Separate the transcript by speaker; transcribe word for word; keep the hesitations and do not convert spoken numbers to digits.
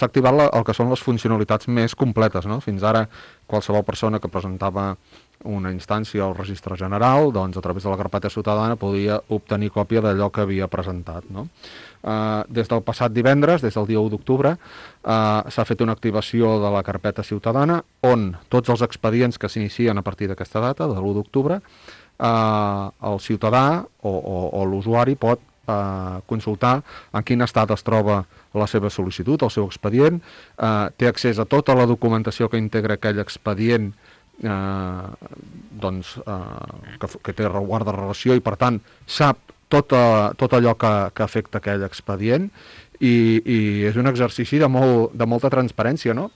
Speaker 1: s'ha activat la, el que són les funcionalitats més completes, no? Fins ara, qualsevol persona que presentava una instància al registre general, doncs a través de la carpeta ciutadana podia obtenir còpia d'allò que havia presentat, no? Uh, des del passat divendres, des del dia u d'octubre, uh, s'ha fet una activació de la carpeta ciutadana on tots els expedients que s'inicien a partir d'aquesta data, de l'u d'octubre, uh, el ciutadà o, o, o l'usuari pot uh, consultar en quin estat es troba la seva sol·licitud, el seu expedient, uh, té accés a tota la documentació que integra aquell expedient, Eh, doncs, eh, que, que té guarda relació i per tant sap tot, a, tot allò que, que afecta aquell expedient i, i és un exercici de, molt, de molta transparència, no?